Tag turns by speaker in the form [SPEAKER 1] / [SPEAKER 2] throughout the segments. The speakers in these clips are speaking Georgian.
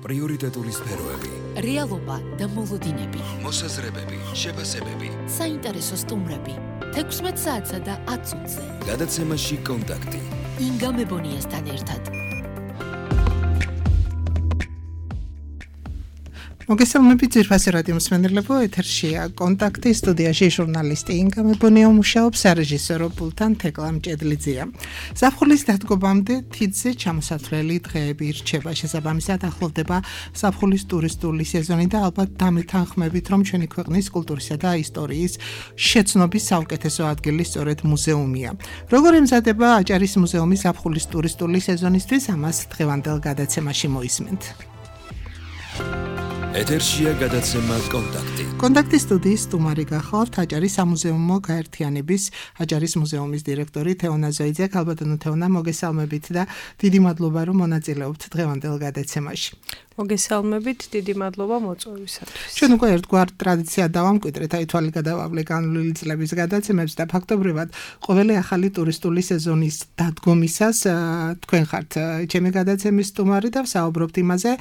[SPEAKER 1] პრიორიტეტული სფეროები,
[SPEAKER 2] რეალობა და მოლოდინები,
[SPEAKER 1] მოსაზრებები, შეფასებები,
[SPEAKER 2] საინტერესო სტუმრები, 16 საათსა და 10 წუთზე.
[SPEAKER 1] გადაცემაში კონტაქტი.
[SPEAKER 2] ინგა მებონიასთან ერთად.
[SPEAKER 3] მოგესალმებით ძირფასი რადიო მსმენელებო, ეთერშია კონტაქტი, სტუდიაში ჟურნალისტი ინგა მებონია მუშაობს, სარეჟისორო პულტთან თეკლა მჭედლიძეა. ზაფხულის დადგომამდე თითზე ჩამოსათვლელი დღეები ირჩება, შესაბამისად ახლოვდება ზაფხულის ტურისტული სეზონი და ალბათ დამეთანხმებით, რომ ჩვენი ქვეყნის კულტურისა და ისტორიის შეცნობის საუკეთესო ადგილი სწორედ მუზეუმია. როგორ ემზადება აჭარის მუზეუმი ზაფხულის ტურისტული სეზონისთვის, ამას დღევანდელ გადაცემაში მოისმენთ.
[SPEAKER 1] ეთერშია გადაცემა კონტაქტი.
[SPEAKER 3] კონტაქტის სტუდიის სტუმარი გახლავთ აჭარის სამუზეუმო გაერთიანების აჭარის მუზეუმის დირექტორი თეონა ზოიძე. ქალბატონო თეონა, მოგესალმებით და დიდი მადლობა, რომ მონაწილეობთ დღევანდელ გადაცემაში.
[SPEAKER 4] მოგესალმებით, დიდი მადლობა მოწვევისათვის.
[SPEAKER 3] ჩვენ უკვე ერთგვარ ტრადიციად დავამკვიდრეთ, აი თვალი გადავავლე განვლილი წლების გადაცემებს და ფაქტობრივად ყოველი ახალი ტურისტული სეზონის დადგომისას თქვენ ხართ ჩემი გადაცემის სტუმარი და ვსაუბრობთ იმაზე,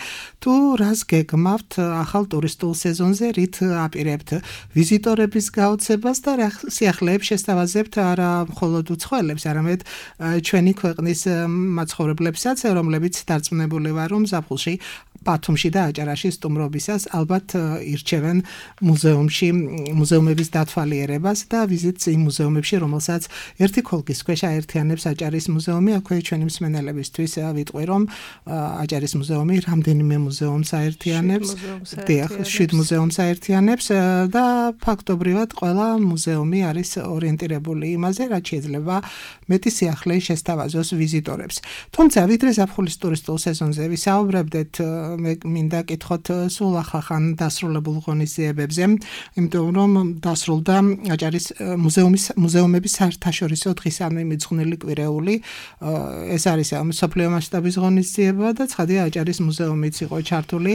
[SPEAKER 3] თუ რას გეგმავთ ახალ ტურისტულ სეზონზე, რით აპირებთ ვიზიტორების გაოცებას და რა სიახლეებს შესთავაზებთ არა მხოლოდ უცხოელებს, არამედ ჩვენი ქვეყნის მაცხოვრებლებსაც, რომლებიც დარწმუნებული ვარ, რომ ზაფხულში ბათუმში და აჭარაში სტუმრობისას ალბათ ირჩევენ მუზეუმების დათვალიერებას და ვიზიტს იმ მუზეუმებში, რომელსაც ერთი ქოლგის ქვეშ აერთიანებს აჭარის მუზეუმი. აქვე ჩვენი მსმენელებისთვის ვიტყვი, რომ აჭარის მუზეუმი რამდენიმე მუზეუმს აერთიანებს, 7 მუზეუმს აერთიანებს და ფაქტობრივად ყველა მუზეუმი არის ორიენტირებული იმაზე, რაც შეიძლება მეტი სიახლე შესთავაზოს ვიზიტორებს. თუმცა ვიდრე ზაფხულის ტურისტულ სეზონზე ვისაუბრებდეთ, მე მინდა კითხოთ სულ ახალ დასრულებულ ღონისძიებებზე, იმიტომ რომ დასრულდა აჭარის მუზეუმების საერთაშორისო დღისამე მიძღვნილი კვირეული. ეს არის მსოფლიო მასშტაბის ღონისძიება და ცხადია აჭარის მუზეუმიც იყო ჩართული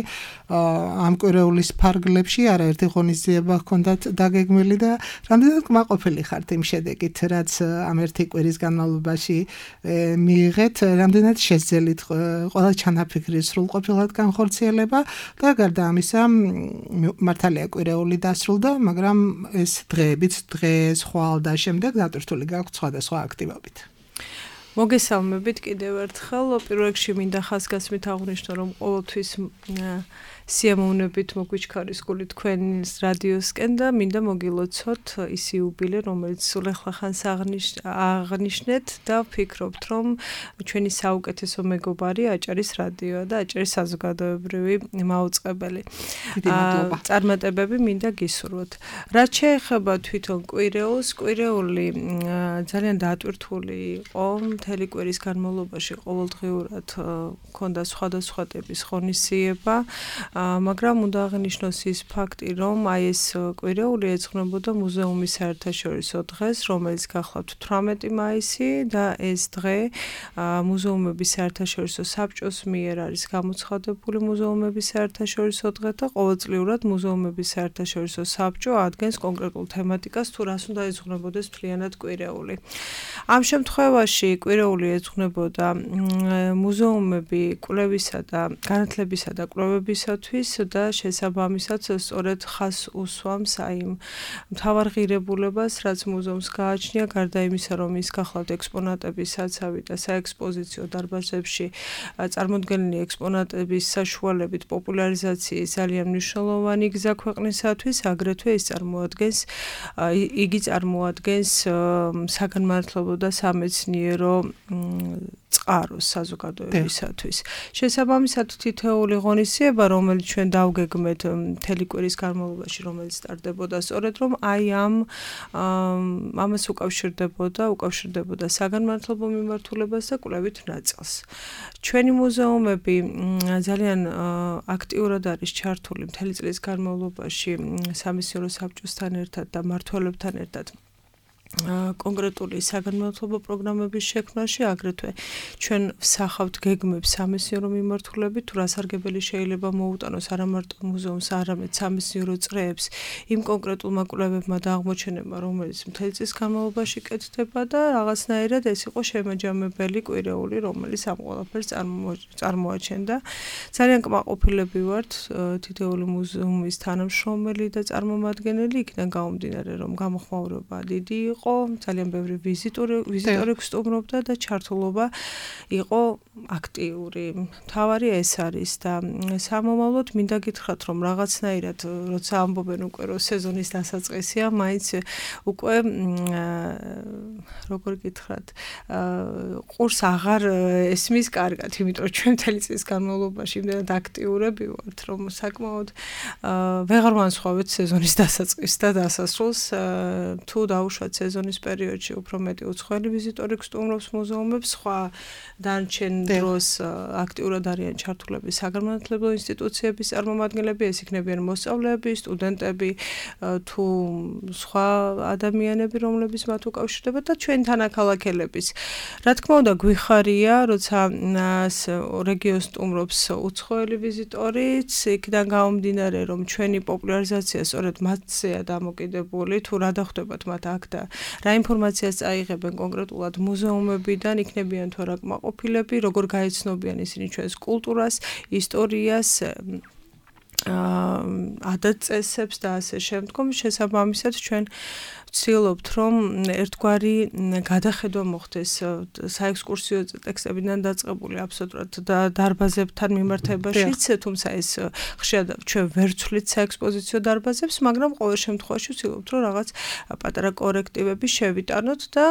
[SPEAKER 3] ამ კვირეულის ფარგლებში. არაერთი ღონისძიება ჰქონდათ დაგეგმილი და რამდენად კმაყოფილი ხართ იმ შედეგით, რაც ამ ერთი კვირის განმავლობაში მიიღეთ, რამდენად შეძელით ყველა ჩანაფიქრის სრულყოფილად განხორციელება და გარდა ამისა მართალია კვირეული დასრულდა, მაგრამ ეს დღეებიც დღეს ხვალ და შემდეგ დატვირთული გაქვთ სხვადასხვა აქტივობით.
[SPEAKER 4] მოგესალმებით კიდევ ერთხელ. პირველ რიგში მინდა ხაზგასმით აღვნიშნო, რომ ყოველთვის სიამოვნებით მოგვიჩქარის გული თქვენს რადიოსკენ და მინდა მოგილოცოთ ის იუბილე, რომელიც სულ ახლახანს აღნიშნეთ და ვფიქრობთ, რომ ჩვენი საუკეთესო მეგობარი აჭარის რადიოა და აჭარის საზოგადოებრივი მაუწყებელი. წარმატებები მინდა გისურვოთ. რაც შეეხება თვითონ კვირეულს, კვირეული ძალიან დატვირთული იყო. მთელი კვირის განმავლობაში ყოველდღიურად ჰქონდა სხვადასხვა ტიპის ღონისძიება, მაგრამ უნდა აღნიშნოს ის ფაქტი, რომ აი ეს კვირეული ეძღვნებოდა მუზეუმის საერთაშორისო დღეს, რომელიც გახლავთ 18 მაისი და ეს დღე მუზეუმების საერთაშორისო საბჭოს მიერ არის გამოცხადებული მუზეუმების საერთაშორისო დღე და ყოველწლიურად მუზეუმების საერთაშორისო საბჭო ადგენს კონკრეტულ თემატიკას, თუ რას უნდა ეძღვნებოდეს მთლიანად კვირეული. ამ შემთხვევაში კვირეული ეძღვნებოდა მუზეუმები კვლევისა და განათლებისა და კვლევებისათვის და შესაბამისად სწორედ ხაზს უსვამს აი მთავარ ღირებულებას, რაც მუზეუმს გააჩნია, გარდა იმისა, რომ ის გახლავთ ექსპონატების საცავი და საექსპოზიციო დარბაზებში წარმოდგენილი ექსპონატების საშუალებით პოპულარიზაციის ძალიან მნიშვნელოვანი გზა ქვეყნისათვის, აგრეთვე იგი წარმოადგენს საგანმანათლებლო და სამეცნიერო წყაროს საზოგადოებისათვის. შესაბამისად თითოეული ღონისძიება, რომელიც ჩვენ დავგეგმეთ მთელი კვირის განმავლობაში, რომელიც სტარდებოდა, სწორედ რომ აი ამას უკავშირდებოდა საგანმანათლებლო მიმართულებას და კვლევით ნაწილს. ჩვენი მუზეუმები ძალიან აქტიურად არის ჩართული მთელი წლის განმავლობაში სამეცნიერო საბჭოსთან ერთად და მმართველებთან ერთად კონკრეტული საგანმანათლებლო პროგრამების შექმნაში, აგრეთვე ჩვენ ვსახავთ გეგმებს სამეცნიერო მიმართულებით, თუ რასარგებელი შეიძლება მოუტანოს არა მარტო მუზეუმს, არამედ სამეცნიერო წრეებს იმ კონკრეტულმა კვლევებმა და აღმოჩენებმა, რომელიც მთელი წლის განმავლობაში კეთდება და რაღაცნაირად ეს იყო შემაჯამებელი კვირეული, რომელიც ამ ყველაფერს წარმოაჩენდა. ძალიან კმაყოფილები ვართ თითოეული მუზეუმის თანამშრომელი და წარმომადგენელი, იქიდან გამომდინარე, რომ გამოხმაურება დიდი იყო, ძალიან ბევრი ვიზიტორი გსტუმრობდა და ჩართულობა იყო აქტიური. მთავარი ეს არის და სამომავლოდ მინდა გითხრათ, რომ რაღაცნაირად როცა ამბობენ უკვე რომ სეზონის დასაწყისია, მაინც უკვე როგორ გითხრათ, ყურს აღარ ესმის კარგად, იმიტომ ჩვენ მთელი წლის განმავლობაში იმდენად აქტიურები ვართ, რომ საკმაოდ ვეღარ ვანსხვავებთ სეზონის დასაწყისს და დასასრულს, თუ დაუშვათ სეზონის პერიოდში უფრო მეტი უცხოელი ვიზიტორი გსტუმრობს მუზეუმებს, სხვა დანარჩენ დროს აქტიურად არიან ჩართულები საგანმანათლებლო ინსტიტუციების წარმომადგენლები, ეს იქნებიან მოსწავლეები, სტუდენტები, თუ სხვა ადამიანები, რომლებიც მათ უკავშირდება და ჩვენ თანაქალაქელების. რა თქმა უნდა, გვიხარია, როცა რეგიონს სტუმრობს უცხოელი ვიზიტორიც, იქიდან გამომდინარე, რომ ჩვენი პოპულარიზაცია სწორედ მათზეა დამოკიდებული, თუ რა დახვდებათ მათ აქ და რა ინფორმაციას წაიღებენ კონკრეტულად მუზეუმებიდან, იქნებიან თუ არა კმაყოფილები, როგორ გაეცნობიან ისინი ჩვენს კულტურას, ისტორიას, ადათ-წესებს და ასე შემდგომ. შესაბამისად ჩვენ ვცდილობთ, რომ ერთგვარი გადახედვა მოხდეს საექსკურსიო ტექსტებიდან დაწყებული აბსოლუტურად დარბაზებთან მიმართებაშიც, თუმცა ეს ხშირად ჩვენ ვერ ვცვლით საექსპოზიციო დარბაზებს, მაგრამ ყოველ შემთხვევაში ვცდილობთ, რომ რაღაც პატარა კორექტივები შევიტანოთ და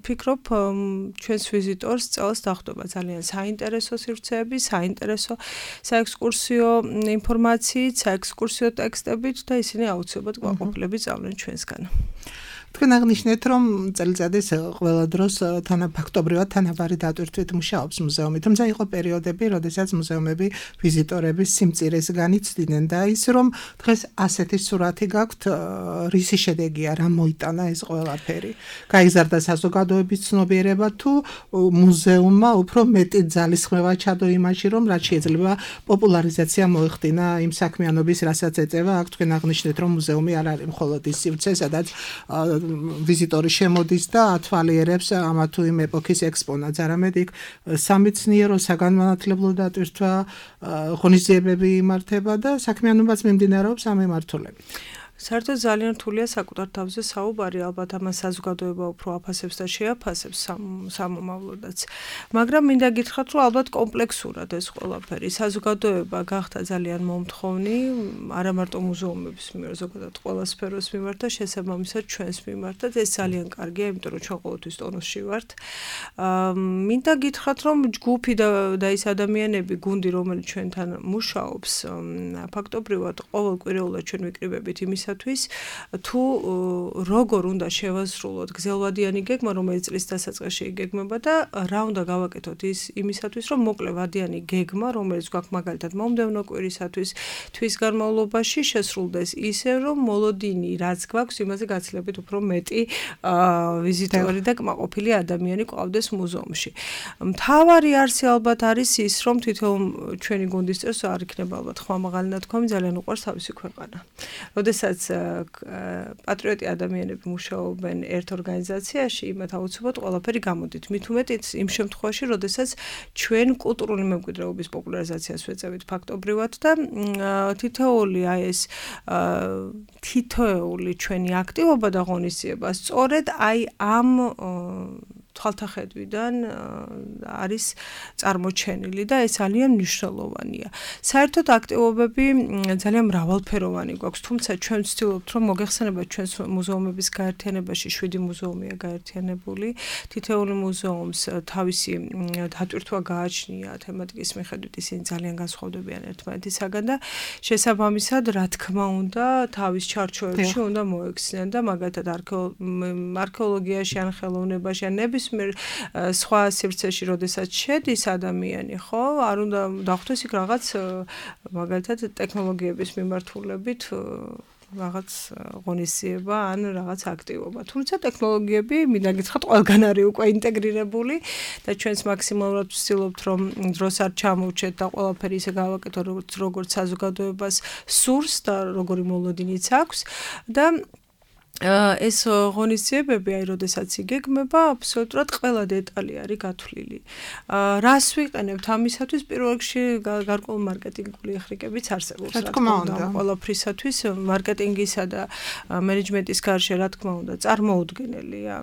[SPEAKER 4] ვფიქრობ, ჩვენს ვიზიტორს წელს დახვდება ძალიან საინტერესო სივრცეები, საინტერესო საექსკურსიო ინფორმაციით, საექსკურსიო ტექსტებით და ისინი აუცილებლად კმაყოფილები წავლენ ჩვენსგან.
[SPEAKER 3] თქვენ აღნიშნეთ, რომ წელიწადის ყველა დროს ფაქტობრივად თანაბარი დატვირთვით მუშაობს მუზეუმი, თუმცა იყო პერიოდები, როდესაც მუზეუმები ვიზიტორების სიმწირეს განიცდიდნენ და ის რომ დღეს ასეთი სურათი გაქვთ, რისი შედეგია, რა მოიტანა ეს ყველაფერი. გაიზარდა საზოგადოების ცნობიერება თუ მუზეუმმა უფრო მეტი ძალისხმევა ჩადო იმაში, რომ რაც შეიძლება პოპულარიზაცია მოეხდინა იმ საქმიანობის, რასაც ეწევა. აქ თქვენ აღნიშნეთ, რომ მუზეუმი არ არის მხოლოდ ის სივრცე, სადაც ვიზიტორი შემოდის და ათვალიერებს ამა თუ იმ ეპოქის ექსპონატს, არამედ იქ სამეცნიერო საგანმანათლებლო დატვირთვა, ღონისძიებები იმართება და საქმიანობაც მიმდინარეობს ამ მიმართულებით.
[SPEAKER 4] საერთოდ ძალიან რთულია საკუთარ თავზე საუბარი, ალბათ ამას საზოგადოება უფრო აფასებს და შეაფასებს სამომავლოდაც. მაგრამ მინდა გითხრათ, რომ ალბათ კომპლექსურად ეს ყველაფერი საზოგადოება გახდა ძალიან მომთხოვნი, არა მარტო მუზეუმების მიმართ, ზოგადად ყველა სფეროს მიმართ და შესაბამისად ჩვენს მიმართაც. ეს ძალიან კარგია, იმიტომ რომ ჩვენ ყოველთვის ტონუსში ვართ. მინდა გითხრათ, რომ ჯგუფი და ის ადამიანები, გუნდი, რომელიც ჩვენთან მუშაობს, ფაქტობრივად ყოველკვირეულად ჩვენ ვიკრიბებით იმის თუ როგორ უნდა შევასრულოთ გზელვადიანი გეგმა, რომელიც წლის დასაწყისში იგეგმება და რა უნდა გავაკეთოთ იმისათვის, რომ მოკლე ვადიანი გეგმა, რომელიც გვაქვს მაგალითად მომდევნო კვირისათვის, თვის განმავლობაში შესრულდეს ისე, რომ მოლოდინი რაც გვაქვს, იმაზე გაცილებით უფრო მეტი ვიზიტორი და კმაყოფილი ადამიანი ყავდეს მუზეუმში. მთავარი არსი ალბათ არის ის, რომ თითოეულ ჩვენი გუნდის წევრს არ იქნება ალბათ ხმამაღალი ნათქვამი, ძალიან უყვარს თავისი ქვეყანა. როდესაც პატრიოტი ადამიანები მუშაობენ ერთ ორგანიზაციაში, იმათ აუცილებლად ყველაფერი გამოდით. მით უმეტიც იმ შემთხვევაში, როდესაც ჩვენ კულტურული მემკვიდრეობის პოპულარიზაციას ვეწევით ფაქტობრივად და თითოეული ჩვენი აქტივობა და ღონისძიება სწორედ აი ამ თვალთახედვიდან არის წარმოჩენილი და ეს ძალიან მნიშვნელოვანია. საერთოდ აქტივობები ძალიან მრავალფეროვანი გვაქვს, თუმცა ჩვენ ვცდილობთ, რომ მოგეხსენებათ ჩვენს მუზეუმების გაერთიანებაში 7 მუზეუმია გაერთიანებული. თითოეული მუზეუმს თავისი დატვირთვა გააჩნია თემატიკის მიხედვით, ისინი ძალიან განსხვავდებიან ერთმანეთისაგან და შესაბამისად, რა თქმა უნდა, თავის ჩარჩოებში უნდა მოექცნენ და მაგალითად არქეოლოგიაში ან ხელოვნებაში ან სხვა სივრცეში, როდესაც შედის ადამიანი, ხო, არ უნდა დახვდეს იქ რაღაც მაგალითად ტექნოლოგიების მიმართულებით რაღაც ღონისძიება ან რაღაც აქტივობა. თუმცა ტექნოლოგიები მინდა გითხრათ ყველგან არის უკვე ინტეგრირებული და ჩვენს მაქსიმალურად ვცდილობთ რომ დროს არ ჩამოვჩეთ და ყველაფერი ისე გავაკეთოთ როგორც საზოგადოებას სურს და როგორი მოლოდინიც აქვს და ეს ღონისძიებები, როდესაც იგეგმება, აბსოლუტურად ყველა დეტალი არის გათვლილი. რას ვიყენებთ ამისათვის? პირველ რიგში გარკვეული მარკეტინგული ხრიკებიც არსებობს, რა თქმა უნდა, ყველაფრისათვის მარკეტინგისა და მენეჯმენტის გარშე, რა თქმა უნდა, წარმოუდგენელია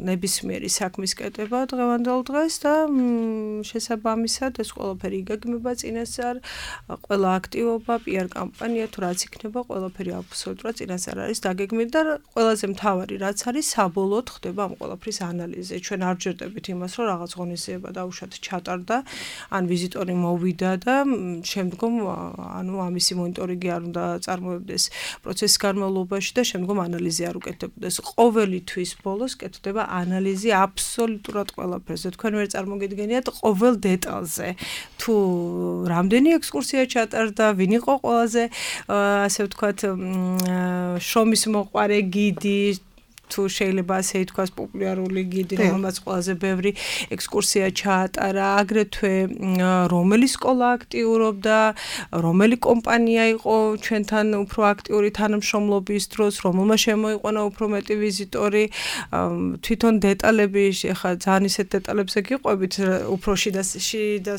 [SPEAKER 4] ნებისმიერი საქმის კეთება დღევანდელ დღეს და შესაბამისად ეს ყველაფერი იგეგმება წინასწარ, ყველა აქტივობა, PR კამპანია თუ რაც იქნება, ყველაფერი აბსოლუტურად წინასწარ არის დაგეგმილი და ყველაზე მთავარი რაც არის საბოლოოდ ხდება ამ ყველაფრის ანალიზი. ჩვენ არ ჯერდებით იმას, რომ რაღაც ღონისძიება დაუშვათ ჩატარდა, ან ვიზიტორი მოვიდა და შემდგომ ანუ ამისი მონიტორინგი არ უნდა წარმოებდეს პროცესის განმავლობაში და შემდგომ ანალიზი არ უკეთდებოდეს. ყოველი თვის ბოლოს კეთდება ანალიზი აბსოლუტურად ყველაფერზე. თქვენ ვერ წარმოგიდგენიათ ყოველ დეტალზე. თუ რამდენი ექსკურსია ჩატარდა, ვინ იყო ყველაზე ასე ვთქვათ შრომის მოყვარე გიდი თუ შეიძლება ასე ითქვას პოპულარული გიდი, რომელმაც ყველაზე ბევრი ექსკურსია ჩაატარა, აგრეთვე რომელი სკოლა აქტიურობდა, რომელი კომპანია იყო ჩვენთან უფრო აქტიური თანამშრომლობის დროს, რომელმა შემოიყვანა უფრო მეტი ვიზიტორი, თვითონ დეტალები, ხა ძალიან ისეთ დეტალებზე გიყვებით, უფრო შიდა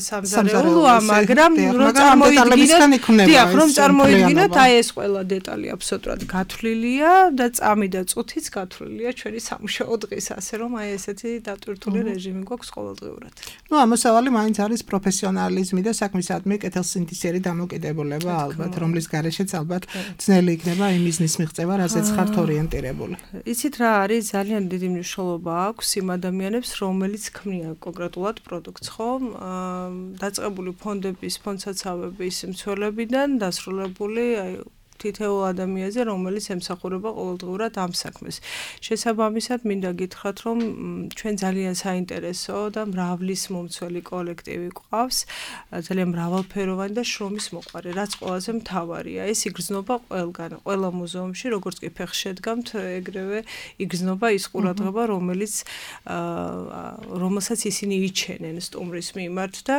[SPEAKER 4] სამზარეულოა, მაგრამ რომ წარმოიდგინოთ, აი ეს ყველა დეტალი აბსოლუტურად გათვლილია და წამი და წუთიც გათვლილია ჩვენი სამუშაო დღის, ასე რომ აი ესეთი დატვირთული რეჟიმი გვაქვს ყოველდღიურად.
[SPEAKER 3] ნუ ამოსავალი მაინც არის პროფესიონალიზმი და საქმისადმი კეთილსინდისიერი დამოკიდებულება ალბათ, რომლის გარეშეც ალბათ ძნელი იქნება იმ ბიზნეს მიღწევა, რასაც ხართ ორიენტირებული.
[SPEAKER 4] იცით რა არის, ძალიან დიდი მნიშვნელობა აქვს იმ ადამიანებს, რომელიც ქმნიან კონკრეტულად პროდუქტს, ხო? დაწყებული ფონდების, ფონდსაცავების მცველებიდან დასრულებული აი თითოეულ ადამიანზე, რომელიც ემსახურება ყოველდღურად ამ საქმეს. შესაბამისად, მინდა გითხრათ, რომ ჩვენ ძალიან საინტერესო და მრავლის მომცველი კოლექტივი გვყავს, ძალიან მრავალფეროვანი და შრომის მოყვარე, რაც ყველაზე მთავარია. ეს იგრძნობა ყველგან, ყველა მუზეუმში, როგორც კი ფეხს შედგამთ, ეგრევე იგრძნობა ის ყურადღება, რომელსაც ისინი იჩენენ სტუმრის მიმართ და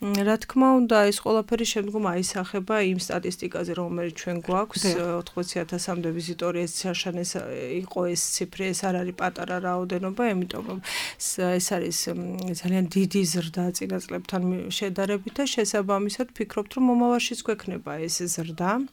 [SPEAKER 4] რა თქმა უნდა, ეს ყველაფერი შემდგომ აისახება იმ სტატისტიკაზე, რომელიც ჩვენ გვაქვს. 80,000-მდე ვიზიტორი ეს შაშანეს იყო ეს ციფრი, ეს არ არის პატარა რაოდენობა, იმიტომ რომ ეს არის ძალიან დიდი ზრდა წინა წლებთან შედარებით და შესაბამისად ვფიქრობთ, რომ მომავალშიც გვექნება ეს ზრდა.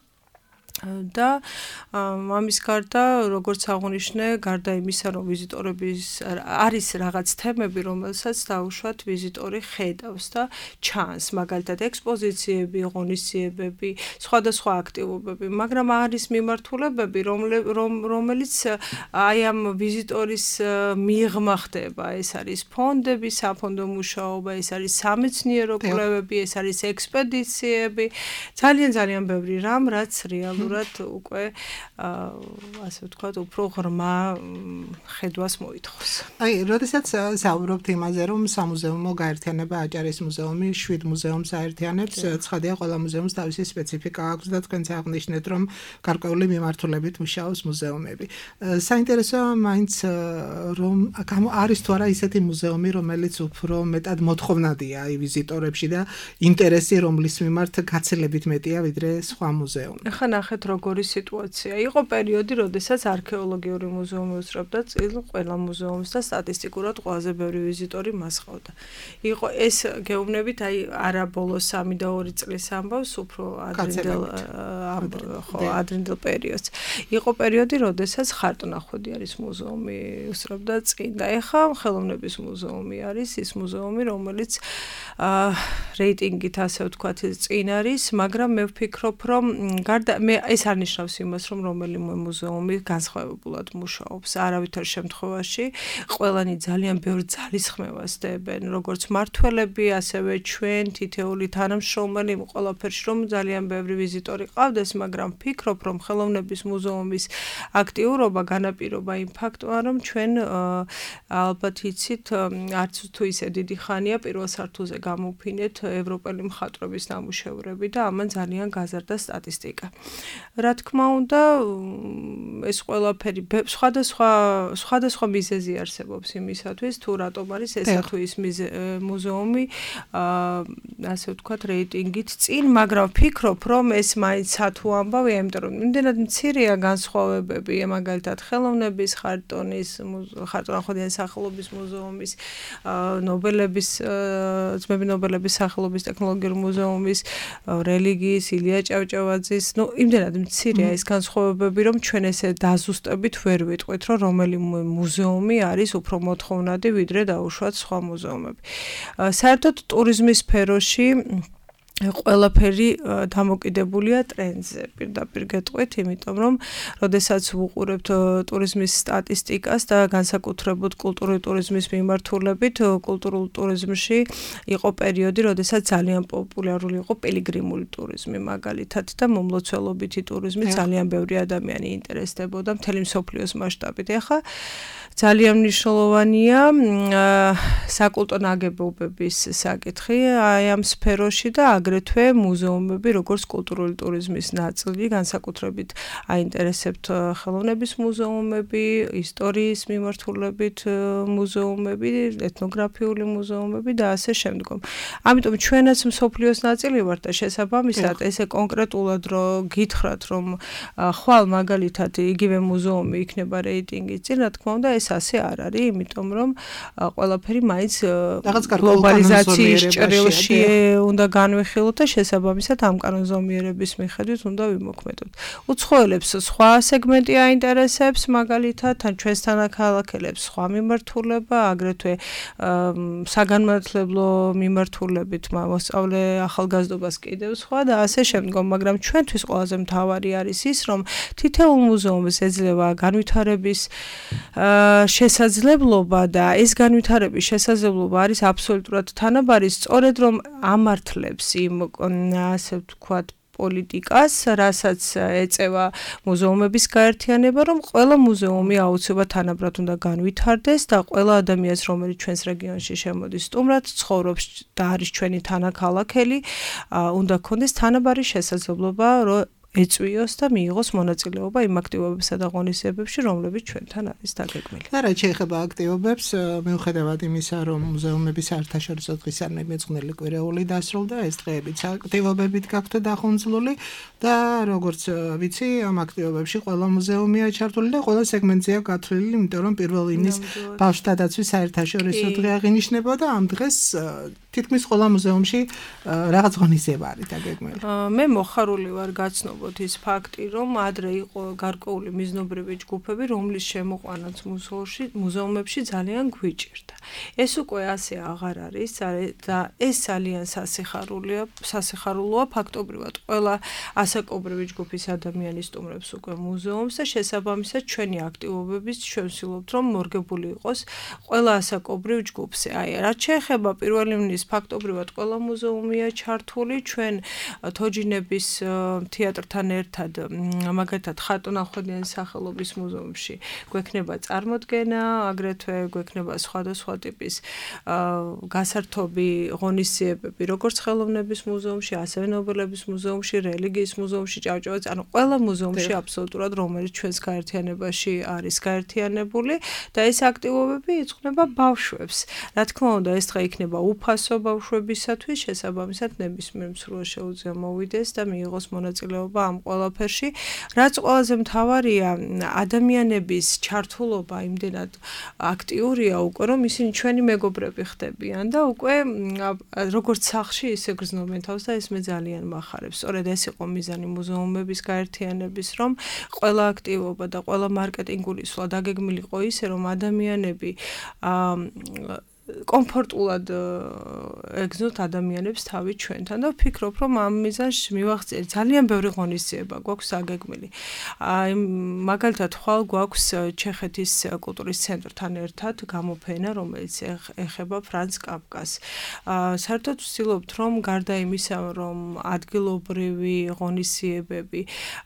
[SPEAKER 4] და ამის გარდა, როგორც აღნიშნე, გარდა იმისა, რომ ვიზიტორების არის რაღაც თემები, რომელსაც დაუშვათ ვიზიტორი ხედავს და ჩანს, მაგალითად ექსპოზიციები, ღონისძიებები, სხვადასხვა აქტივობები, მაგრამ არის მიმართულებები, რომელიც აი ამ ვიზიტორის მიღმა ხდება, ეს არის ფონდები, საფონდო მუშაობა, ეს არის სამეცნიერო კვლევები, ეს არის ექსპედიციები, ძალიან ბევრი რამ, რაც რეალურად უკვე ასე ვთქვათ, უფრო ღრმა ხედვას მოითხოვს.
[SPEAKER 3] აი, როდესაც საუბრობთ იმაზე, რომ სამუზეუმო გაერთიანება აჭარის მუზეუმი 7 მუზეუმს აერთიანებს, ცხადია, ყველა მუზეუმს თავისი სპეციფიკა აქვს და თქვენც აღნიშნეთ, რომ გარკვეული მიმართულებით მუშაობს მუზეუმები. საინტერესოა მაინც, რომ არის თუ არა ისეთი მუზეუმი, რომელიც უფრო მეტად მოთხოვნადია აი ვიზიტორებში და ინტერესი რომლის მიმართ გაცილებით მეტია ვიდრე სხვა მუზეუმი.
[SPEAKER 4] ახლა ნახეთ როგორი სიტუაცია. იყო პერიოდი, როდესაც არქეოლოგიური მუზეუმი უსწრებდა წილ ყველა მუზეუმს და სტატისტიკურად ყველაზე ბევრი ვიზიტორი მას ყავდა. იყო ეს გეუბნებით, აი არა ბოლოს 3 და 2 წლის ამბავს, უფრო ადრინდელ პერიოდს. იყო პერიოდი, როდესაც ხარტონახვედი არის მუზეუმი უსწრებდა წინ და ეხლა ხელოვნების მუზეუმი არის ის მუზეუმი, რომელიც რეიტინგით ასე ვთქვათ წინ არის, მაგრამ მე ვფიქრობ, რომ ეს არ ნიშნავს იმას, რომ რომელიმე მუზეუმი განსხვავებულად მუშაობს. არავითარ შემთხვევაში ყველანი ძალიან ბევრ ძალისხმევას დებენ, როგორც მართველები, ასევე ჩვენ თითეული თანამშრომელი ყველაფერში, რომ ძალიან ბევრი ვიზიტორი ყავდეს, მაგრამ ვფიქრობ, რომ ხელოვნების მუზეუმის აქტიურობა განაპირობა იმ ფაქტმა, რომ ჩვენ ალბათ იცით, არც თუ ისე დიდი ხანია პირველ სართულზე გამოვფინეთ ევროპელი მხატვრების ნამუშევრები და ამან ძალიან გაზარდა სტატისტიკა. რა თქმა უნდა, ეს ყველაფერი სხვადასხვა მიზეზი არსებობს იმისათვის, თუ რატომ არის ესა თუ ის მუზეუმი, ასე ვთქვათ, რეიტინგით წინ, მაგრამ ვფიქრობ, რომ ეს მაინც სათუ ამბავია, იმიტომ რომ იმდენად მცირეა განსხვავებები, მაგალითად, ხელოვნების ხარტონის, ხარტონახოდიანი სახელობის მუზეუმის, ძმები ნობელების სახელობის ტექნოლოგიურ მუზეუმის, რელიგიის, ილია ჭავჭავაძის, იმდენად მცირეა ეს განსხვავებები, რომ ჩვენ ესე დაზუსტებით ვერ ვიტყვით, რომ რომელი მუზეუმი არის უფრო მოთხოვნადი, ვიდრე დაუშვათ სხვა მუზეუმები. საერთოდ ტურიზმის სფეროში ყველაფერი დამოკიდებულია ტრენდზე, პირდაპირ გეტყვით, იმიტომ რომ როდესაც ვუყურებთ ტურიზმის სტატისტიკას და განსაკუთრებით კულტურული ტურიზმის მიმართულებით, კულტურულ ტურიზმში იყო პერიოდი, როდესაც ძალიან პოპულარული იყო პილიგრიმული ტურიზმი, მაგალითად და მომლოცველობითი ტურიზმი, ძალიან ბევრი ადამიანი ინტერესდებოდა მთელი მსოფლიოს მასშტაბით. ეხლა ძალიან მნიშვნელოვანია საკულტო ნაგებობების საკითხი აი ამ სფეროში და აგრეთვე მუზეუმები, როგორც კულტურული ტურიზმის ნაწილი, განსაკუთრებით აინტერესებთ ხელოვნების მუზეუმები, ისტორიის მიმართულებით მუზეუმები, ეთნოგრაფიული მუზეუმები და ასე შემდგომ. ამიტომ ჩვენაც მსოფლიოს ნაწილი ვართ და შესაბამისად ესე კონკრეტულად რომ გითხრათ, რომ ხვალ მაგალითად იგივე მუზეუმი იქნება რეიტინგის წინ, რა თქმა უნდა ეს ასე არ არის, იმიტომ რომ ყველაფერი მაინც გლობალიზაციის ჭრილში უნდა განვიხილოთ და შესაბამისად ამ კანონზომიერების მიხედვით უნდა ვიმოქმედოთ. უცხოელებს სხვა სეგმენტი აინტერესებს, მაგალითად, ან ჩვენს თანაქალაქელებს სხვა მიმართულება, აგრეთვე საგანმანათლებლო მიმართულებით მოსწავლე ახალგაზრდობას კიდევ სხვა და ასე შემდგომ, მაგრამ ჩვენთვის ყველაზე მთავარი არის ის, რომ თითოეულ მუზეუმს ეძლევა განვითარების შესაძლებლობა და ეს განვითარების შესაძლებლობა არის აბსოლუტურად თანაბარი, სწორედ რომ ამართლებს იმ ასე ვთქვათ პოლიტიკას, რასაც ეწევა მუზეუმების გაერთიანება, რომ ყველა მუზეუმი აუცილებლად თანაბრად უნდა განვითარდეს და ყველა ადამიანს, რომელიც ჩვენს რეგიონში შემოდის სტუმრად, ცხოვრობს და არის ჩვენი თანაქალაქელი, უნდა ჰქონდეს თანაბარი შესაძლებლობა, რომ ეწვიოს და მიიღოს მონაწილეობა იმ აქტივობებსა და ღონისძიებებში, რომლებიც ჩვენთან არის დაგეგმილი.
[SPEAKER 3] და რაც შეეხება აქტივობებს, მიუხედავად იმისა, რომ მუზეუმების საერთაშორისო დღისადმი მეწყნელი კვირეული დასრულდა, ეს დღეებიც აქტივობებით გაქვთ დახუნძლული და როგორც ვიცი, ამ აქტივობებში ყველა მუზეუმია ჩართული და ყველა სეგმენტზეა გათვლილი, იმიტომ რომ პირველ ივნისს ბავშვთა დაცვის საერთაშორისო დღე აღინიშნებოდა და ამ დღეს თითქმის ყველა მუზეუმში რაღაც ღონისძიება არის დაგეგმილი.
[SPEAKER 4] მე მოხარული ვარ გაცნობოთ ის ფაქტი, რომ ადრე იყო გარკვეული მიზნობრივი ჯგუფები, რომლის შემოყვანაც მუზეუმებში ძალიან გვიჭირდა. ეს უკვე ასე აღარ არის და ეს ძალიან სასიხარულოა ფაქტობრივად. ყველა ასაკობრივი ჯგუფის ადამიანი სტუმრებს უკვე მუზეუმს და შესაბამისად ჩვენი აქტივობების ჩვენ ვცდილობთ, რომ მორგებული იყოს ყველა ასაკობრივ ჯგუფზე. აი, რაც შეეხება პირველ ივნისს ფაქტობრივად ყველა მუზეუმია ჩართული, ჩვენ თოჯინების თეატრთან ერთად, მაგალითად ხატონახოდიანი სახელობის მუზეუმში გვექნება წარმოდგენა, აგრეთვე გვექნება სხვადასხვა ტიპის გასართობი ღონისძიებები, როგორც ხელოვნების მუზეუმში, ასევე ნობელების მუზეუმში, რელიგიის მუზეუმში, ჭავჭავაძის, ანუ ყველა მუზეუმში აბსოლუტურად, რომელიც ჩვენს გაერთიანებაში არის გაერთიანებული და ეს აქტივობები იწყნება ბავშვებს. რა თქმა უნდა, ეს დღე იქნება უფასო ბავშვებისათვის, შესაბამისად ნებისმიერ მსურველს შეუძლია მოვიდეს და მიიღოს მონაწილეობა ამ ყველაფერში. რაც ყველაზე მთავარია, ადამიანების ჩართულობა იმდენად აქტიურია უკვე, რომ ისინი ჩვენი მეგობრები ხდებიან და უკვე როგორც სახლში, ისე გრძნობენ თავს და ეს მე ძალიან მახარებს. სწორედ ეს იყო მიზანი მუზეუმების გაერთიანების, რომ ყველა აქტივობა და ყველა მარკეტინგული სვლა დაგეგმილიყო ისე, რომ ადამიანები კომფორტულად ეგზნოთ ადამიანებს თავი ჩვენთან და ვფიქრობ, რომ ამ მიზანს მივახციეთ. ძალიან ბევრი ღონისძიება გვაქვს აგეგმილი. აი, მაგალითად, ხვალ გვაქვს ჩეხეთის კულტურის ცენტრთან ერთად გამოფენა, რომელიც ეხება ფრანც კაფკას. საერთოდ ვცდილობთ, რომ გარდა იმისა, რომ ადგილობრივი ღონისძიებები,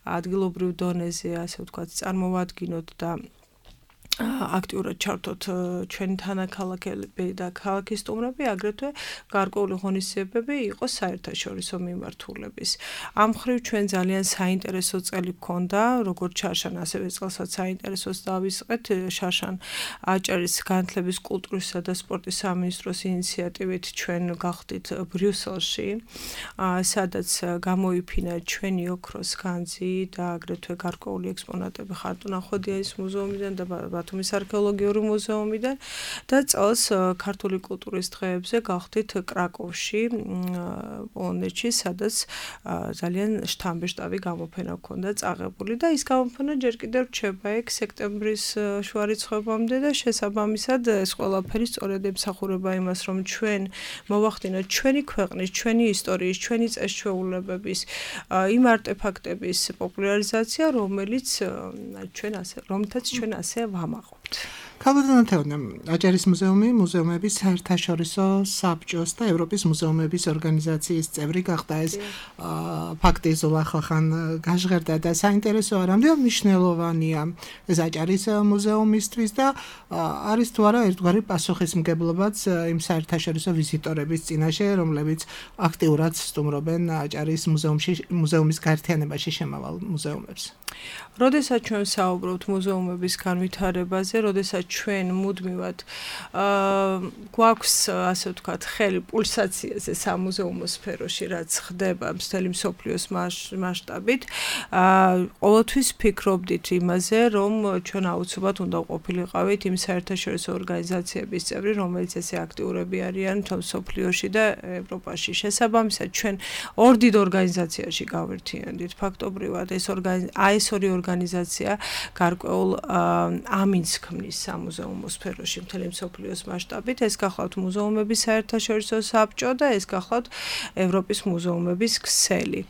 [SPEAKER 4] ადგილობრივ დონეზე, ასე ვთქვათ, წარმოვადგინოთ და აქტიურად ჩართოთ ჩვენი თანაქალაქები და ქალაქის სტუმრები, აგრეთვე გარკვეული ღონისძიებები იყოს საერთაშორისო მიმართულების. ამ მხრივ ჩვენ ძალიან საინტერესო წელი გქონდა, როგორც შარშან, ასევე წელსაც საინტერესოს დავისყეთ. შარშან აჭარის განათლების, კულტურისა და სპორტის სამინისტროს ინიციატივით ჩვენ გავხდით ბრიუსელში, სადაც გამოიფინა ჩვენი ოქროს განძი და აგრეთვე გარკვეული ექსპონატები ხარტუნახვედიაის მუზეუმიდან და ბათუმის არქეოლოგიური მუზეუმიდან და წელს ქართული კულტურის დღეებზე გავხდით კრაკოვში, პოლონეთში, სადაც ძალიან შთამბეშტავი გამოფენა ჰქონდა წაღებული და ის გამოფენა ჯერ კიდევ რჩება ეგ სექტემბრის შუა რიცხვებამდე და შესაბამისად ეს ყველაფერი სწორედ ემსახურება იმას, რომ ჩვენ მოვახდინოთ ჩვენი ქვეყნის, ჩვენი ისტორიის, ჩვენი წესჩვეულებების იმ არტეფაქტების პოპულარიზაცია, რომლითაც ჩვენ ასე ვამაყობთ.
[SPEAKER 3] ქალბატონო, აჭარის მუზეუმი მუზეუმების საერთაშორისო საბჭოს და ევროპის მუზეუმების ორგანიზაციის წევრი გახდა. ეს ფაქტი ზოლა ხალხან გაჟღერდა და საინტერესოა, რამდენად მნიშვნელოვანია ეს აჭარის მუზეუმისთვის და არის თუ არა ერთგვარი პასუხისმგებლობაც იმ საერთაშორისო ვიზიტორების წინაშე, რომლებიც აქტიურად სტუმრობენ აჭარის მუზეუმის გაერთიანებაში შემავალ მუზეუმებს.
[SPEAKER 4] როდესაც ჩვენ საუბრობთ მუზეუმების განვითარებაზე, როდესაც ჩვენ მუდმივად გვაქვს, ასე ვთქვათ, ხელი პულსაციაზე სამუზეუმო სფეროში, რაც ხდება მთელი მსოფლიოს მასშტაბით, ყოველთვის ფიქრობდით იმაზე, რომ ჩვენ აუცილებლად უნდა ყოფილიყავით იმ საერთაშორისო ორგანიზაციების წევრი, რომელიც ესე აქტიურები არიან მთელ მსოფლიოში და ევროპაში. შესაბამისად, ჩვენ ორ დიდ ორგანიზაციაში გავერთიანდით. ფაქტობრივად ეს ორი ორგანიზაცია გარკვეულ ამინს ქმნის სამუზეუმო სფეროში მთელი მსოფლიოს მასშტაბით. ეს გახლავთ მუზეუმების საერთაშორისო საბჭო და ეს გახლავთ ევროპის მუზეუმების ქსელი.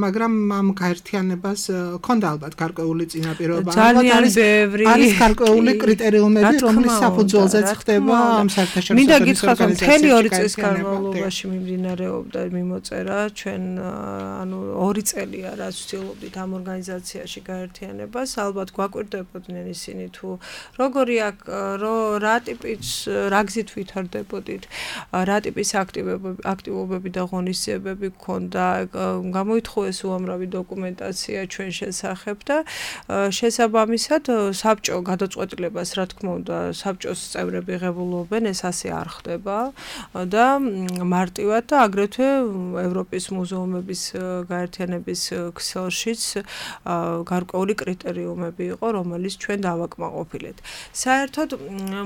[SPEAKER 3] მაგრამ ამ გაერთიანებას ჰქონდა ალბათ გარკვეული წინაპირობა.
[SPEAKER 4] ძალიან ბევრი
[SPEAKER 3] არის გარკვეული კრიტერიუმები, რომლის საფუძველზეც ხდება ამ საერთაშორისო
[SPEAKER 4] მინდა გითხრათ, რომ მთელი 2 წლის განმავლობაში მიმდინარეობდა მიმოწერა. ჩვენ 2 წელია რაც ვცდილობდით ამ ორგანიზაციაში გაერთიანებას. ალბათ გვაკვირდებოდნენ ისინი თუ როგორი რა გზით ვითარდებოდით, რა ტიპის აქტივობები და ღონისძიებები გქონდა, გამოითხოვეს უამრავი დოკუმენტაცია ჩვენ შესახებ და შესაბამისად საბჭო გადაწყვეტილებას, რა თქმა უნდა, საბჭოს წევრები ღებულობენ, ეს ასე არ ხდება და მარტივად და აგრეთვე ევროპის მუზეუმების გაერთიანების ქსელშიც გარკვეული კრიტერიუმები იყო, რომელიც ჩვენ დავაკმაყოფილეთ. საერთოდ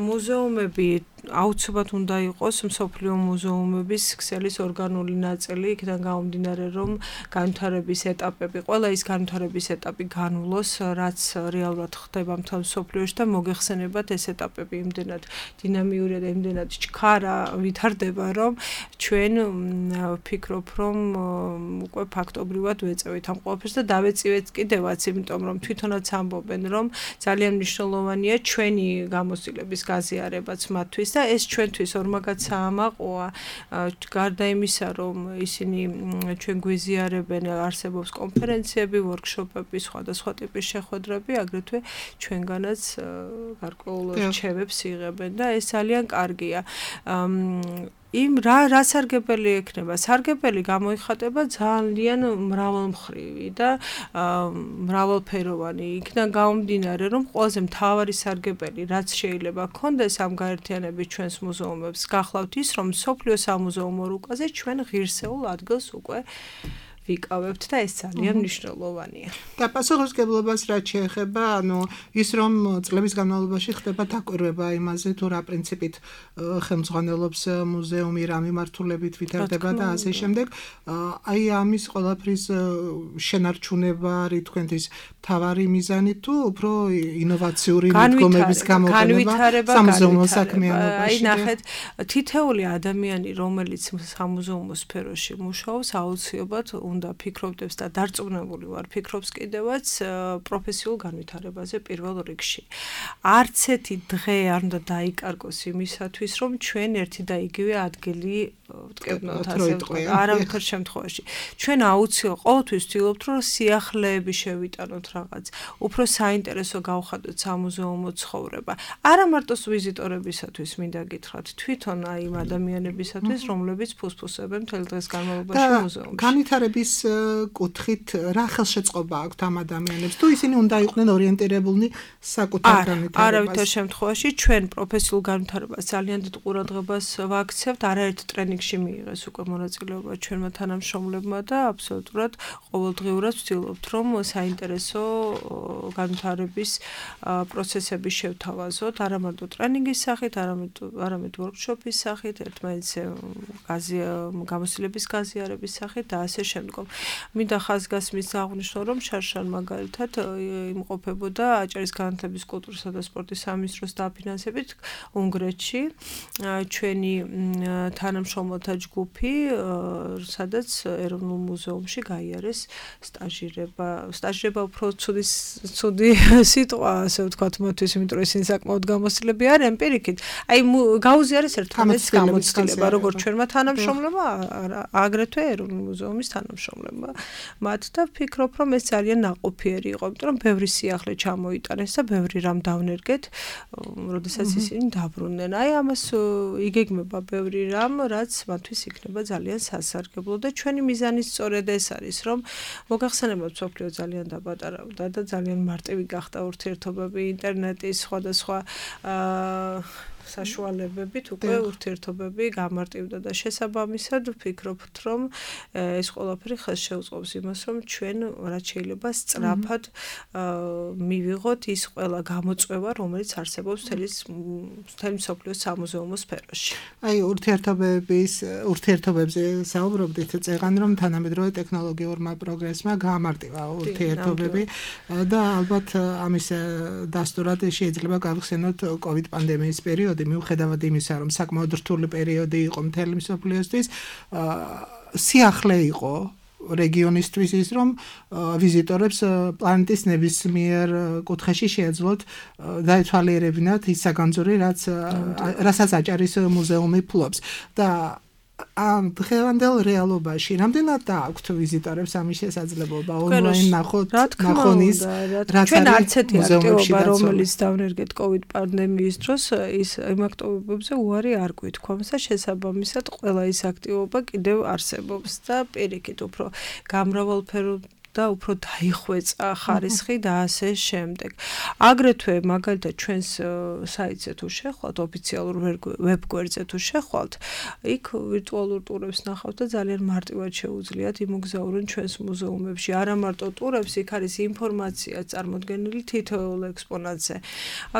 [SPEAKER 4] მუზეუმები აუცილებლად უნდა იყოს მსოფლიო მუზეუმების ქსელის ორგანული ნაწილი, იქიდან გამომდინარე, რომ განვითარების ეტაპები, ყველა ის განვითარების ეტაპი განვლოს, რაც რეალურად ხდება მთელ მსოფლიოში და მოგეხსენებათ ეს ეტაპები იმდენად დინამიურია და იმდენად ჩქარა ვითარდება, რომ ჩვენ ვფიქრობ, რომ უკვე ფაქტობრივად ვეწევით ამ ყველაფერს და დავეწივეთ კიდევაც, იმიტომ რომ თვითონაც ამბობენ, რომ ძალიან მნიშვნელოვანია ჩვენი გამოცდილების გაზიარებაც მათთვის და ეს ჩვენთვის ორმაგად საამაყოა. გარდა იმისა, რომ ისინი ჩვენ გვიზიარებენ, არსებობს კონფერენციები, ვორქშოპები, სხვადასხვა ტიპის შეხვედრები, აგრეთვე ჩვენგანაც გარკვეულ რჩევებს იღებენ და ეს ძალიან კარგია. რა სარგებელი ექნება? სარგებელი გამოიხატება ძალიან მრავალმხრივი და მრავალფეროვანი. იქიდან გამომდინარე, რომ ყველაზე მთავარი სარგებელი, რაც შეიძლება გქონდეს ამ გაერთიანების ჩვენს მუზეუმებს, გახლავთ ის, რომ მსოფლიო სამუზეუმო რუკაზე ჩვენ ღირსეულ ადგილს უკვე ვიკავებთ და ეს ძალიან მნიშვნელოვანია.
[SPEAKER 3] და პასუხისმგებლობას რაც შეეხება, ის რომ წლების განმავლობაში ხდება დაკვირვება იმაზე, თუ რა პრინციპით ხელმძღვანელობს მუზეუმი, რა მიმართულებით ვითარდება და ასე შემდეგ. აი ამის ყველაფრის შენარჩუნება არის თქვენთვის მთავარი მიზანი თუ უფრო ინოვაციური მიდგომების გამოყენება სამუზეუმო საქმიანობაში?
[SPEAKER 4] აი ნახეთ, თითეული ადამიანი, რომელიც სამუზეუმო სფეროში მუშაობს, აუცილებლად უნდა ფიქრობდებს და დარწმუნებული ვარ ფიქრობს კიდევაც პროფესიულ განვითარებაზე პირველ რიგში. არც ერთი დღე არ უნდა დაიკარგოს იმისათვის, რომ ჩვენ ერთი და იგივე ადგილი ვტკბნოთ ასე ვთქვათ, არავითარ შემთხვევაში. ჩვენ აუცილებლად ყოველთვის ვცდილობთ, რომ სიახლეები შევიტანოთ რაღაც, უფრო საინტერესო გავხადოთ სამუზეუმო ცხოვრება. არა მარტოს ვიზიტორებისათვის მინდა გითხრათ, თვითონ აი იმ ადამიანებისათვის, რომლებიც ფუსფუსებენ მთელ დღეს განმავლობაში მუზეუმში.
[SPEAKER 3] განვითარების კუთხით რა ხელშეწყობა აქვთ ამ ადამიანებს? თუ ისინი უნდა იყვნენ ორიენტირებულნი საკუთარ განვითარებას?
[SPEAKER 4] არავითარ შემთხვევაში ჩვენ პროფესიულ განვითარებას ძალიან დიდ ყურადღებას ვაქცევთ, არაერთ ტრენინგში მიიღეს უკვე მონაწილეობა ჩვენმა თანამშრომლებმა და აბსოლუტურად ყოველდღიურად ვცდილობთ, რომ საინტერესო განვითარების პროცესები შევთავაზოთ, არა მარტო ტრენინგის სახით, არამედ ვორქშოპის სახით, ერთმანეთს გამოცდილების გაზიარების სახით და ასე შემდგომ. მინდა ხაზგასმის აღნიშნო, რომ შარშან მაგალითად იმყოფებოდა აჭარის განათლების, კულტურისა და სპორტის სამინისტროს დაფინანსებით უნგრეთში ჩვენი თანამშრომელთა ჯგუფი, სადაც ეროვნულ მუზეუმში გაიარეს სტაჟირება. სტაჟირება უფრო ცუდი სიტყვა, ასე ვთქვათ, მოთვის, იმიტომ რომ ისინი საკმაოდ გამოცდილები არიან პირიქით. აი გაუზიარეს ერთმანეთს გამოცდილება, როგორც ჩვენმა თანამშრომლებმა, აგრეთვე ეროვნულ მუზეუმის თანამშრომლებმა. მათ და ვფიქრობ, რომ ეს ძალიან ნაყოფიერი იყო, იმიტომ რომ ბევრი სიახლე ჩამოიტანეს და ბევრი რამ დავნერგეთ, როდესაც ისინი დაბრუნდნენ. აი ამას იგეგმება ბევრი რამ, რაც მათთვის იქნება ძალიან სასარგებლო და ჩვენი მიზანი სწორედ ეს არის, რომ მოგახსენებათ მსოფლიო ძალიან დაბატარავდა და ძალიან მარტივი გახდა ურთიერთობები ინტერნეტის სხვადასხვა საშუალებებით უკვე ურთიერთობები გამარტივდა და შესაბამისად ვფიქრობთ, რომ ეს ყველაფერი ხელს შეუწყობს იმას, რომ ჩვენ რაც შეიძლება სწრაფად მივიღოთ ის ყველა გამოწვევა, რომელიც არსებობს მთელი მსოფლიოს სამუზეუმო სფეროში.
[SPEAKER 3] აი ურთიერთობებზე საუბრობდით, წეღან რომ თანამედროვე ტექნოლოგიურმა პროგრესმა გაამარტივა ურთიერთობები და ალბათ ამის დასტურად შეიძლება გავხსენოთ COVID პანდემიის პერიოდი. მიუხედავად იმისა, რომ საკმაოდ რთული პერიოდი იყო მთელი მსოფლიოსთვის, სიახლე იყო რეგიონისთვის ის, რომ ვიზიტორებს პლანეტის ნებისმიერ კუთხეში შეეძლოთ დაეთვალიერებინათ ის საგანძური, რასაც აჭარის მუზეუმი ფლობს. და ამ დღევანდელ რეალობაში რამდენად დააქვთ ვიზიტორებს ამის შესაძლებლობა ონლაინ ნახონის, რაც
[SPEAKER 4] ჩვენ არც ერთი აქტივობა, რომელიც დავნერგეთ COVID პანდემიის დროს, ის იმ აქტივობებზე უარი არ გვითქვამს და შესაბამისად ყველა ის აქტივობა კიდევ არსებობს და პირიქით უფრო გამრავალფეროვანი და უფრო დაიხვეწა ხარისხი და ასე შემდეგ. აგრეთვე მაგალითად ჩვენს საიტზე თუ შეხვალთ, ოფიციალურ ვებგვერდზე თუ შეხვალთ, იქ ვირტუალურ ტურებს ნახავთ და ძალიან მარტივად შეუძლიათ იმოგზაურონ ჩვენს მუზეუმებში. არა მარტო ტურებს, იქ არის ინფორმაცია წარმოდგენილი თითოეულ ექსპონატზე.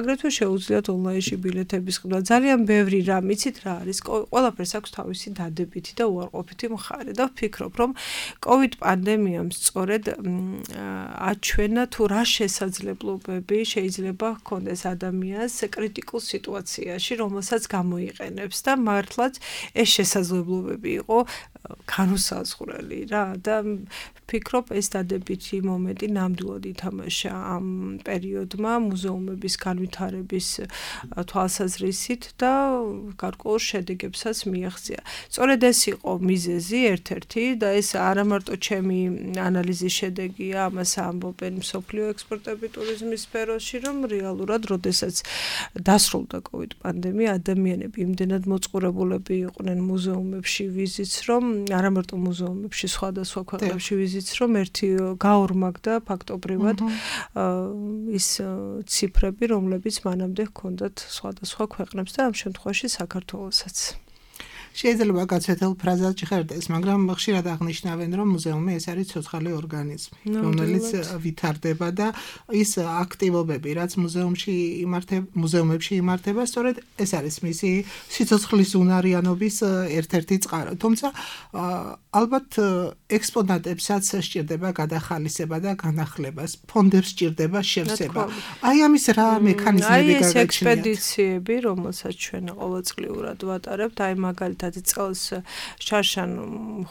[SPEAKER 4] აგრეთვე შეუძლიათ ონლაინში ბილეთების ყიდვა. ძალიან ბევრი რამ, იცით რა არის? ყველაფერს აქვს თავისი დადებითი და უარყოფითი მხარე და ვფიქრობ, რომ COVID პანდემიამ სწორედ აჩვენა თუ რა შესაძლებლობები შეიძლება ჰქონდეს ადამიანს კრიტიკულ სიტუაციაში, რომელსაც გამოიყენებს და მართლაც ეს შესაძლებლობები იყო განუსაზღვრელი რა და ვფიქრობ ეს დადებითი მომენტი ნამდვილად ითამაშა ამ პერიოდმა მუზეუმების განვითარების თვალსაზრისით და გარკვეულ შედეგებსაც მიაღწია. სწორედ ეს იყო მიზეზი ერთ-ერთი და ეს არა მარტო ჩემი ანალიზის შედეგია, ამას ამბობენ მსოფლიო ექსპერტები ტურიზმის სფეროში, რომ რეალურად, როდესაც დასრულდა COVID პანდემია, ადამიანები იმდენად მოწყურებულები იყვნენ მუზეუმებში ვიზიტს, რომ არა მარტო მუზეუმებში, სხვადასხვა ქვეყნებში ვიზიტს, რომ ერთი გაორმაგდა ფაქტობრივად ის ციფრები, რომლებიც მანამდე ჰქონდათ სხვადასხვა ქვეყნებს და ამ შემთხვევაში საქართველოსაც.
[SPEAKER 3] შეიძლება გაცეთელ ფრაზად ჭხერდეს, მაგრამ ხშირად აღნიშნავენ, რომ მუზეუმი ეს არის ცოცხალი ორგანიზმი, რომელიც ვითარდება და ის აქტივობები, რაც მუზეუმებში იმართება, სწორედ ეს არის მისი სიცოცხლის უნარიანობის ერთ-ერთი წყარო. თუმცა ალბათ ექსპონატებსაც სჭირდება გადახალისება და განახლება, ფონდებს სჭირდება შევსება. აი ამის რა მექანიზმები
[SPEAKER 4] გაგაჩნიათ? აი ეს ექსპედიციები, რომელსაც ჩვენ ყოველწლიურად ვატარებთ, აი მაგალითად ერთად წელს შარშან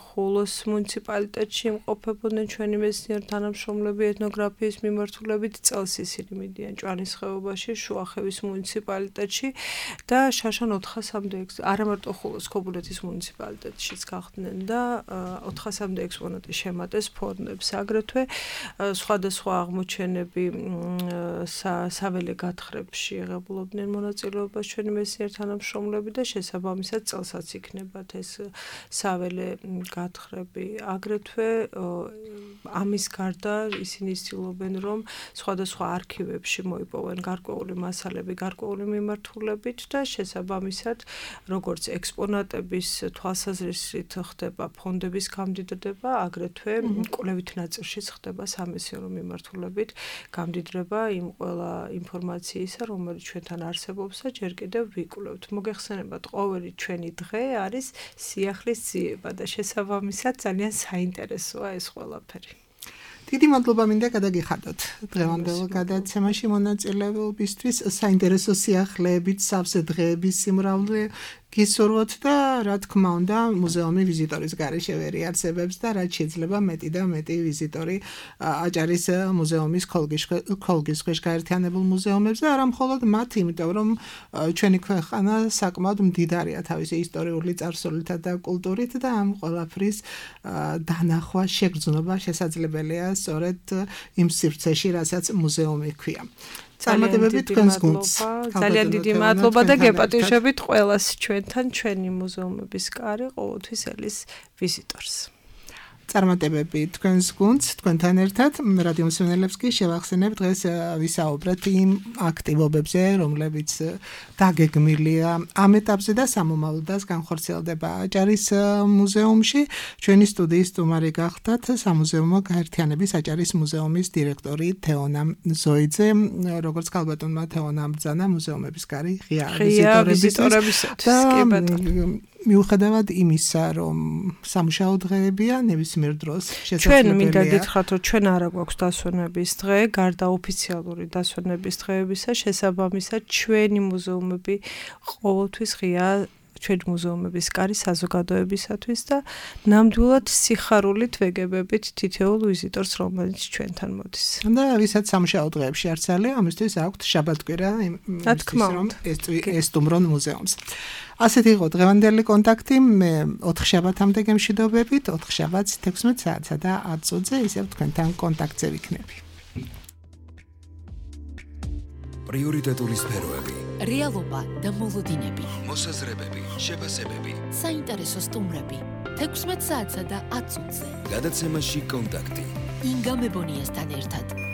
[SPEAKER 4] ხულოს მუნიციპალიტეტში იმყოფებოდნენ ჩვენი მეცნიერ თანამშრომლები ეთნოგრაფიის მიმართულებით, წელს ისინი მიდიან ჭვანის ხეობაში, შუახევის მუნიციპალიტეტში და შარშან 400-მდე არა მარტო ხულოს ქობულეთის მუნიციპალიტეტშიც გახდნენ და 400-მდე ექსპონატი შემატეს ფონდებს. აგრეთვე სხვადასხვა აღმოჩენები საველე გათხრებში იღებულობდნენ მონაწილეობას ჩვენი მეცნიერ თანამშრომლები და შესაბამისად წელსაც იქნებათ ეს საველე გათხრები. აგრეთვე ამის გარდა ისინი ცდილობენ რომ სხვადასხვა არქივებში მოიპოვեն გარკვეული მასალები გარკვეული მიმართულებით და შესაბამისად როგორც ექსპონატების თვალსაზრისით ხდება ფონდების გამდიდრება, აგრეთვე კვლევით ნაწილშიც ხდება სამეცნიერო მიმართულებით გამდიდრება იმ ყველა ინფორმაციისა, რომელიც ჩვენთან არსებობს და ჯერ კიდევ ვიკვლევთ. მოგეხსენებათ, ყოველი ჩვენი დღე არის სიახლის ძიება და შესაბამისად ძალიან საინტერესოა ეს ყველაფერი.
[SPEAKER 3] დიდი მადლობა მინდა გადაგიხადოთ დღევანდელ გადაცემაში მონაწილეობისთვის, საინტერესო სიახლეებით, სავსე დღეების სიმრავლე გისურვოთ და რა თქმა უნდა მუზეუმი ვიზიტორის გარეშე ვერ იარსებებს და რაც შეიძლება მეტი და მეტი ვიზიტორი აჭარის მუზეუმის ქოლგის ქვეშ გაერთიანებულ მუზეუმებს და არა მხოლოდ მათ, იმიტომ რომ ჩვენი ქვეყანა საკმაოდ მდიდარია თავისი ისტორიული წარსულითა და კულტურით და ამ ყველაფრის დანახვა, შეგრძნობა შესაძლებელია სწორედ იმ სივრცეში, რასაც მუზეუმი ჰქვია. წარმატებები თქვენს გუნდს.
[SPEAKER 4] ძალიან დიდი მადლობა და გეპატიჟებით ყველას ჩვენთან, ჩვენი მუზეუმების კარი ყოველთვის ელის ვიზიტორს. წარმატებები თქვენს გუნდს, თქვენთან ერთად რადიო მსმენელებს კი შევახსენებ დღეს ვისაუბრეთ იმ აქტივობებზე, რომლებიც დაგეგმილია ამ ეტაპზე და სამომავლოდაც განხორციელდება აჭარის მუზეუმში. ჩვენი სტუდიის სტუმარი გახდათ სამუზეუმო გაერთიანების აჭარის მუზეუმის დირექტორი თეონა ზოიძე, როგორც ქალბატონმა თეონამ ბრძანა მუზეუმების კარი ღია ვიზიტორებისათვის. მიუხედავად იმისა, რომ სამუშაო დღეებია, ნებისმიერ დროს შესაძლებელია. ჩვენ მინდა გითხრათ, რომ ჩვენ არ გვაქვს დასვენების დღე, გარდა ოფიციალური დასვენების დღეებისა, შესაბამისად ჩვენი მუზეუმები ყოველთვის ღია ჩვენი მუზეუმების კარი საზოგადოებისათვის და ნამდვილად სიხარულით ვეგებებით თითოეულ ვიზიტორს, რომელიც ჩვენთან მოდის. და ვისაც სამუშაო დღეებში არ ცალია, ამისთვის აქვთ შაბათ-კვირა რომ ესტუმრონ მუზეუმს. ასეთი იყო დღევანდელი კონტაქტი. მე 4 შაბათამდე გემშვიდობებით, 4 შაბათს 16 საათსა და 10 წუთზე ისევ თქვენთან კონტაქტზე ვიქნები.
[SPEAKER 1] პრიორიტეტული სფეროები,
[SPEAKER 2] რეალობა და მოლოდინები,
[SPEAKER 1] მოსაზრებები, შეფასებები,
[SPEAKER 2] საინტერესო სტუმრები 16 საათსა და 10 წუთზე.
[SPEAKER 1] გადაცემაში კონტაქტი.
[SPEAKER 2] ინგა მებონიასთან ერთად.